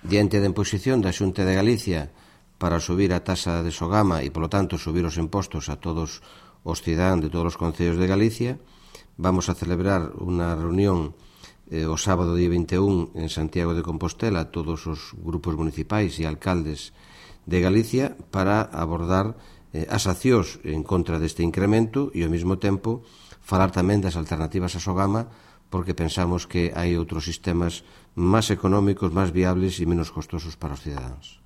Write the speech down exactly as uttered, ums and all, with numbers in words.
diante da imposición da Xunta de Galicia para subir a taxa de Sogama e, polo tanto, subir os impostos a todos os cidadáns de todos os concellos de Galicia, vamos a celebrar unha reunión eh, o sábado día vinte e un en Santiago de Compostela, todos os grupos municipais e alcaldes de Galicia, para abordar eh, as accións en contra deste incremento e, ao mesmo tempo, falar tamén das alternativas a Sogama, porque pensamos que hai outros sistemas máis económicos, máis viables e menos costosos para os cidadáns.